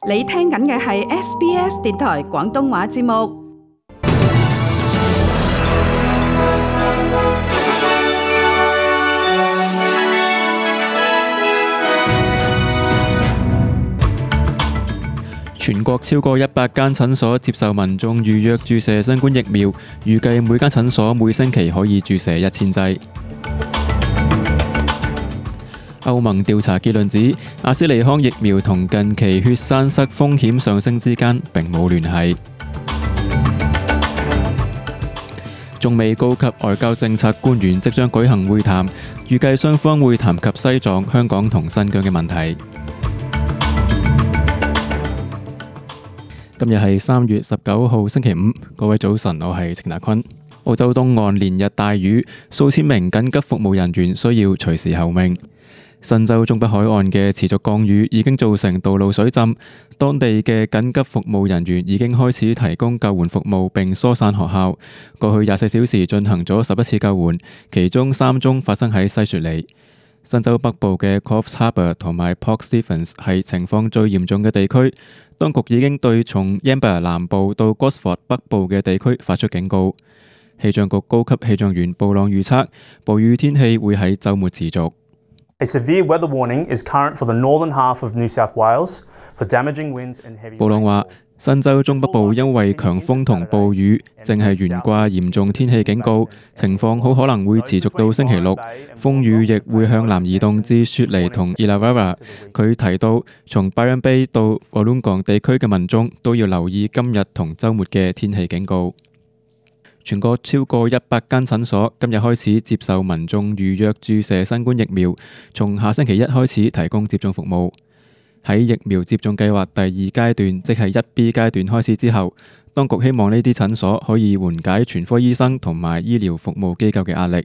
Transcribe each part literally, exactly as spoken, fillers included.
你聽緊嘅係 S B S 電台廣東話節目。全國超過一百間診所接受民眾預約注射新冠疫苗，預計每間診所每星期可以注射一千劑。歐盟調查結論指，阿斯利康疫苗同近期血栓塞風險上升之間並冇聯繫。中美高級外交政策官員即將舉行會談，預計雙方會談及西藏、香港同新疆嘅問題。今日係三月十九號星期五，各位早晨，我係程達坤。澳洲東岸連日大雨，數千名緊急服務人員需要隨時候命。新州中北海岸嘅持續降雨已經造成道路水浸，當地嘅緊急服務人員已經開始提供救援服務並疏散學校。過去廿四小時進行咗十一次救援，其中三宗發生喺西雪梨。新州北部嘅 Coffs Harbour 同埋 Port Stephens 係情況最嚴重嘅地區，當局已經對從 Yamba 南部到 Gosford 北部嘅地區發出警告。氣象局高級氣象員布朗預測，暴雨天氣會喺週末持續。A severe weather warning is current for the northern half of New South Wales for damaging winds and heavy rain. 布朗話，新州中北部因為強風同暴雨，正係懸掛嚴重天氣警告，情況好可能會持續到星期六。風雨亦會向南移動至雪梨同 Illawarra。佢提到，從 Byron Bay 到 Wollongong 地區嘅民眾都要留意今日同週末嘅天氣警告。全國超過一百間診所今日開始接受民眾預約注射新冠疫苗，從下星期一開始提供接種服務。喺疫苗接種計劃第二階段，即係一 B 階段開始之後，當局希望呢啲診所可以緩解全科醫生同埋醫療服務機構嘅壓力。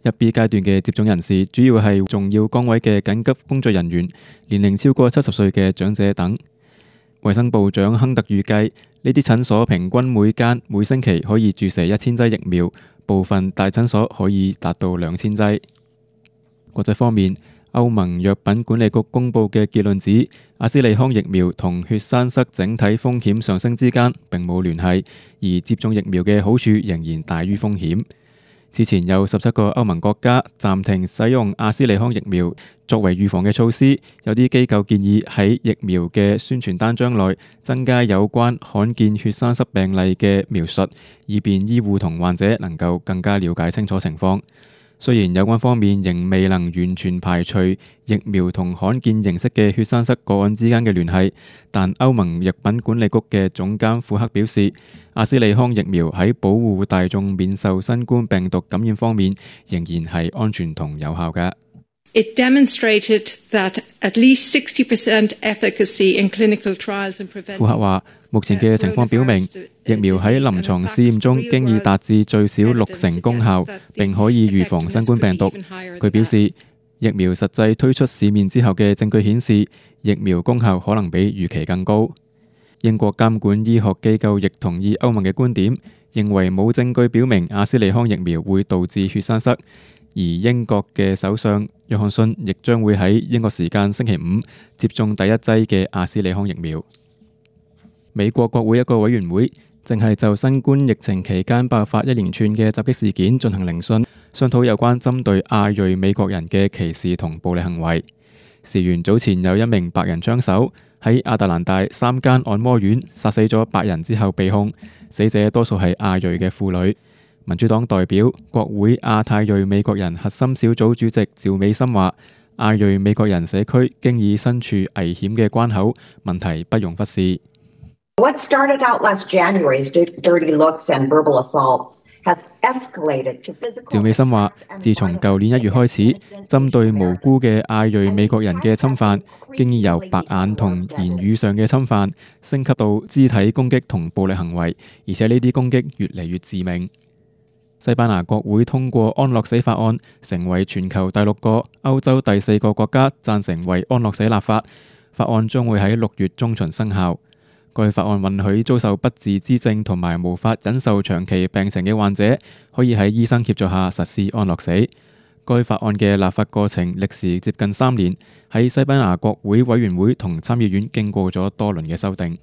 一 B 階段嘅接種人士主要係重要崗位嘅緊急工作人員、年齡超過七十歲嘅長者等。衛生部長亨特預計，呢啲診所平均每間每星期可以注射一千劑疫苗，部分大診所可以達到兩千劑。國際方面，歐盟藥品管理局公佈嘅結論指，阿斯利康疫苗同血栓塞整體風險上升之間並冇聯繫，而接種疫苗嘅好處仍然大於風險。此前有十七個歐盟國家暫停使用阿斯利康疫苗作為預防嘅措施，有啲機構建議喺疫苗嘅宣傳單張內增加有關罕見血栓塞病例嘅描述，以便醫護同患者能夠更加了解清楚情況。雖然有關方面仍未能完全排除疫苗同罕見形式嘅血栓塞個案之間嘅聯繫，但歐盟藥品管理局嘅總監庫克表示，阿斯利康疫苗喺保護大眾免受新冠病毒感染方面仍然係安全同有效嘅。It demonstrated that at least sixty percent efficacy in clinical trials and prevention. 庫克話，目前嘅情況表明，疫苗喺臨床試驗中經已達至最少六成功效，並可以預防新冠病毒。佢表示，疫苗實際推出市面之後嘅證據顯示，疫苗功效可能比預期更高。英國監管醫學機構亦同意歐盟嘅觀點，認為冇證據表明阿斯利康疫苗會導致血栓塞。而英國嘅首相約翰遜亦將會喺英國時間星期五接種第一劑嘅阿斯利康疫苗。美國國會一個委員會正係就新冠疫情期間爆發一連串嘅襲擊事件進行聆訊，商討有關針對亞裔美國人嘅歧視同暴力行為。事源早前有一名白人槍手喺亞特蘭大三間按摩院殺死咗白人之後被控，死者多數係亞裔嘅婦女。民主黨代表國會亞太裔美國人核心小組主席趙美心話，亞裔美國人社區經已身處危險嘅關口，問題不容忽視。What started out last January's dirty looks and verbal assaults has escalated to physical. 趙美心話，自從舊年一月開始，針對無辜嘅亞裔美國人嘅侵犯，經已由白眼同言語上嘅侵犯，升級到肢體攻擊同暴力行為，而且呢啲攻擊越嚟越致命。西班牙國會通過安樂死法案，成為全球第六個、歐洲第四個國家贊成為安樂死立法。法案將會喺六月中旬生效。該法案允許遭受不治之症同埋無法忍受長期病情嘅患者，可以喺醫生協助下實施安樂死。該法案嘅立法過程歷時接近三年，喺西班牙國會委員會同參議院經過咗多輪嘅修訂。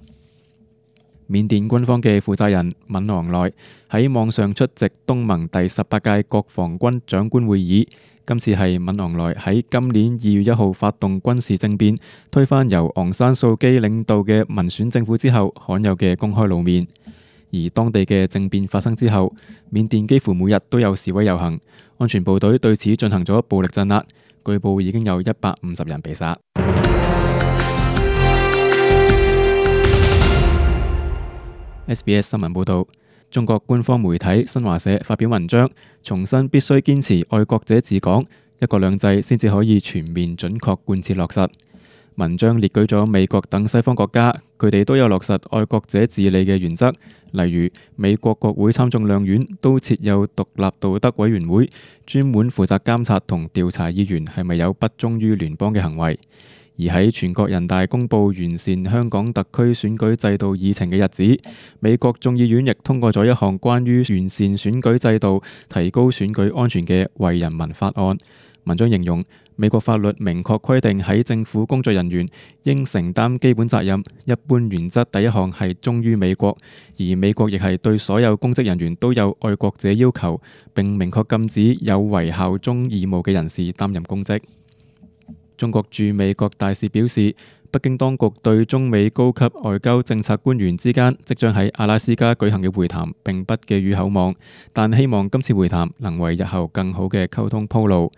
緬甸軍方嘅負責人敏昂萊喺網上出席東盟第十八屆國防軍長官會議。今次係敏昂萊喺今年二月一號發動軍事政變，推翻由昂山素基領導嘅民選政府之後，罕有嘅公開露面。而當地嘅政變發生之後，緬甸幾乎每日都有示威遊行，安全部隊對此進行咗暴力鎮壓，據報已經有一百五十人被殺。S B S 新聞報導，中國官方媒體新華社發表文章，重申必須堅持愛國者治港，一國兩制先至可以全面準確貫徹落實。文章列舉咗美國等西方國家，佢哋都有落實愛國者治理嘅原則，例如美國國會參眾兩院都設有獨立道德委員會，專門負責監察同調查議員係咪有不忠於聯邦嘅行為。而喺全國人大公佈完善香港特區選舉制度議程嘅日子，美國眾議院亦通過咗一項關於完善選舉制度、提高選舉安全嘅為人民法案。文章形容，美國法律明確規定喺政府工作人員應承擔基本責任，一般原則第一項係忠於美國，而美國亦係對所有公職人員都有愛國者要求，並明確禁止有違效忠義務嘅人士擔任公職。中國駐美國大使表示，北京當局對中美高級外交政策官員之間即將喺阿拉斯加舉行嘅會談並不寄予厚望，但希望今次會談能為日後更好嘅溝通鋪路。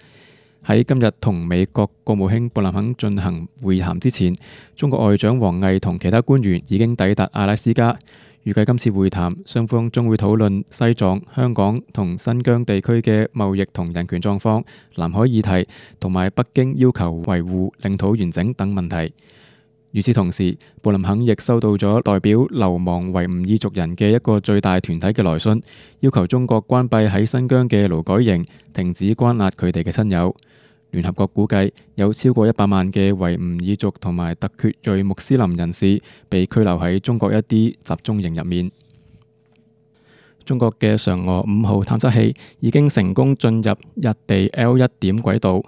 喺今日同美國國務卿布林肯進行會談之前，中國外長王毅同其他官員已經抵達阿拉斯加。預計今次會談，雙方將會討論西藏、香港同新疆地區嘅貿易同人權狀況、南海議題同埋北京要求維護領土完整等問題。與此同時，布林肯亦收到咗代表流亡維吾爾族人嘅一個最大團體嘅來信，要求中國關閉喺新疆嘅勞改營，停止關押佢哋嘅親友。聯合國估計有超過一百萬嘅維吾爾族同埋突厥裔穆斯林人士被拘留喺中國一啲集中營入面。中國嘅嫦娥五號探測器已經成功進入日地 L 一點軌道，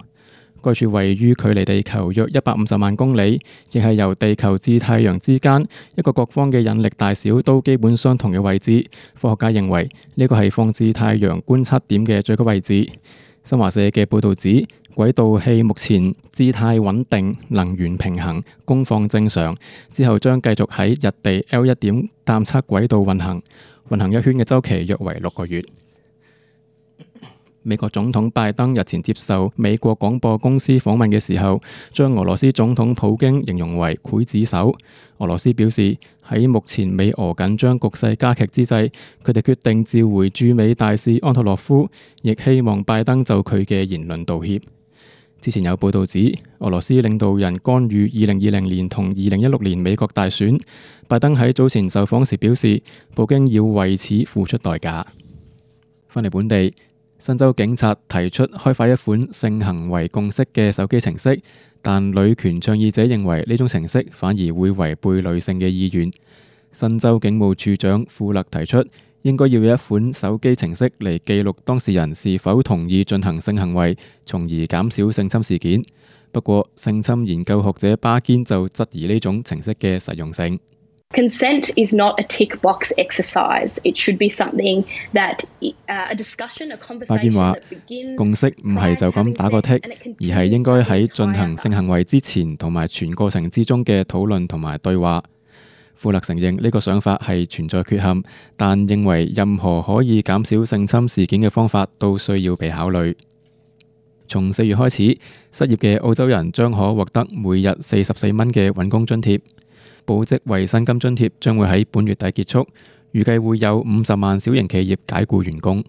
該處位於距離地球約一百五十萬公里，亦係由地球至太陽之間一個各方嘅引力大小都基本相同嘅位置。科學家認為呢個係放置太陽觀測點嘅最高位置。新華社嘅報導指，軌道器目前姿態穩定，能源平衡，功放正常，之後將繼續喺日地 L 一點探測軌道運行，運行一圈嘅週期約為六個月。美國總統拜登日前接受美國廣播公司訪問嘅時候，將俄羅斯總統普京形容為劊子手。俄羅斯表示，喺目前美俄緊張局勢加劇之際，佢哋決定召回駐美大使安托洛夫，亦希望拜登就佢嘅言論道歉。之前有報道指，俄羅斯領導人干預二零二零年同二零一六年美國大選。拜登喺早前受訪時表示，普京要為此付出代價。翻嚟本地，新州警察提出開發一款性行為共識嘅手機程式，但女權倡議者認為呢種程式反而會違背女性嘅意願。新州警務處長富勒提出，應該要有一款手機程式嚟記錄當事人是否同意進行性行為，從而減少性侵事件。不過，性侵研究學者巴堅就質疑呢種程式嘅實用性。Consent is not a tick box exercise. It should be something that uh, a discussion, a conversation that begins. 共識唔係就咁打個剔，而係應該喺進行性行為之前同埋全過程之中嘅討論同埋對話。富勒承認呢個想法係存在缺陷，但認為任何可以減少性侵事件嘅方法都需要被考慮。從四月開始，失業嘅澳洲人將可獲得每日四十四蚊嘅揾工津貼。保職維薪金津貼將會喺本月底結束，預計會有五十萬小型企業解僱員工。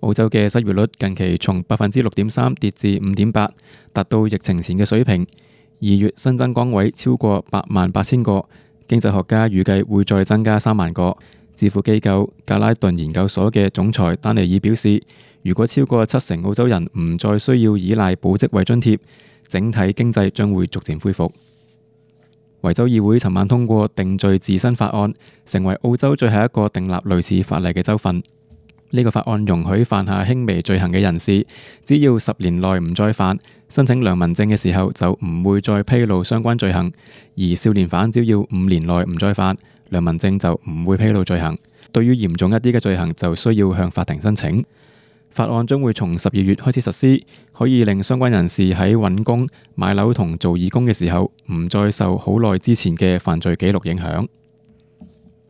澳洲嘅失業率近期從百分之六點三跌至五點八，達到疫情前嘅水平。二月新增崗位超過八萬八千個，經濟學家預計會再增加三萬個。智庫機構格拉頓研究所嘅總裁丹尼爾表示，如果超過七成澳洲人唔再需要依賴保職維津貼，整體經濟將會逐漸恢復。維州議會尋晚通過定罪自身法案，成為澳洲最後一個訂立類似法例嘅州份。呢個法案容許犯下輕微罪行嘅人士，只要十年內唔再犯，申請良民證嘅時候就唔會再披露相關罪行；而少年犯只要五年內唔再犯，良民證就唔會披露罪行。對於嚴重一啲嘅罪行，就需要向法庭申請。法案將會從十二月開始實施，可以令相關人士喺揾工、買樓同做義工嘅時候，唔再受好耐之前嘅犯罪記錄影響。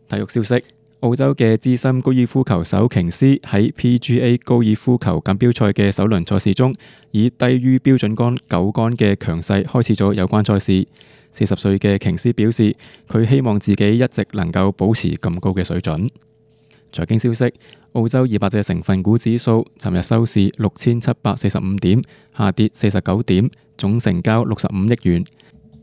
體育消息。澳洲嘅資深高爾夫球手瓊斯喺 P G A 高爾夫球錦標賽嘅首輪賽事中，以低於標準桿九桿嘅強勢開始咗有關賽事。四十歲嘅瓊斯表示，佢希望自己一直能夠保持咁高嘅水準。財經消息，澳洲二百隻成分股指數尋日收市六千七百四十五點，下跌四十九點，總成交六十五億元。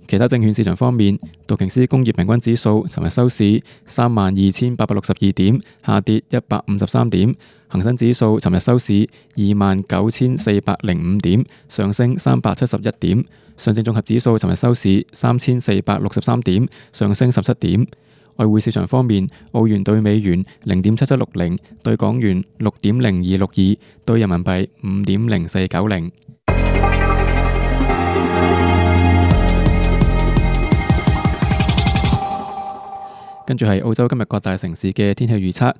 其他證券市場方面，道瓊斯工業平均指數尋日收市三萬二千八百六十二點，下跌一百五十三點；恒生指數尋日收市二萬九千四百零五點，上升三百七十一點；上證綜合指數尋日收市三千四百六十三點，上升十七點。外匯市場方面，澳元對美元零點七七六零，對港元六點零二六二，對人民幣五點零四九零。跟住係澳洲今日各大城市嘅天氣預測：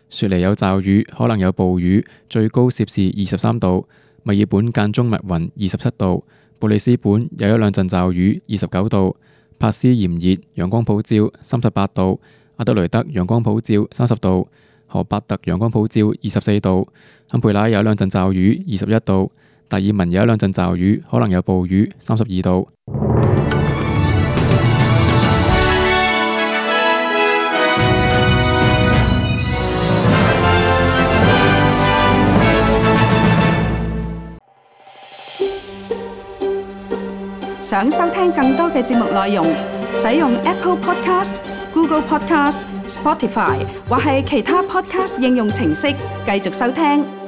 雪梨有驟雨，可能有暴雨，最高攝氏二十三度；墨爾本間中密雲，二十七度；布里斯本有一兩陣驟雨，二十九度；帕斯炎熱，陽光普照，三十八度；阿德雷德陽光普照，三十度；荷伯特陽光普照，二十四度；坎培拉有一兩陣驟雨，二十一度；達爾文有一兩陣驟雨，可能有暴雨，三十二度。想收聽更多嘅節目內容，使用 Apple Podcast、Google Podcast、Spotify 或係其他 Podcast 應用程式繼續收聽。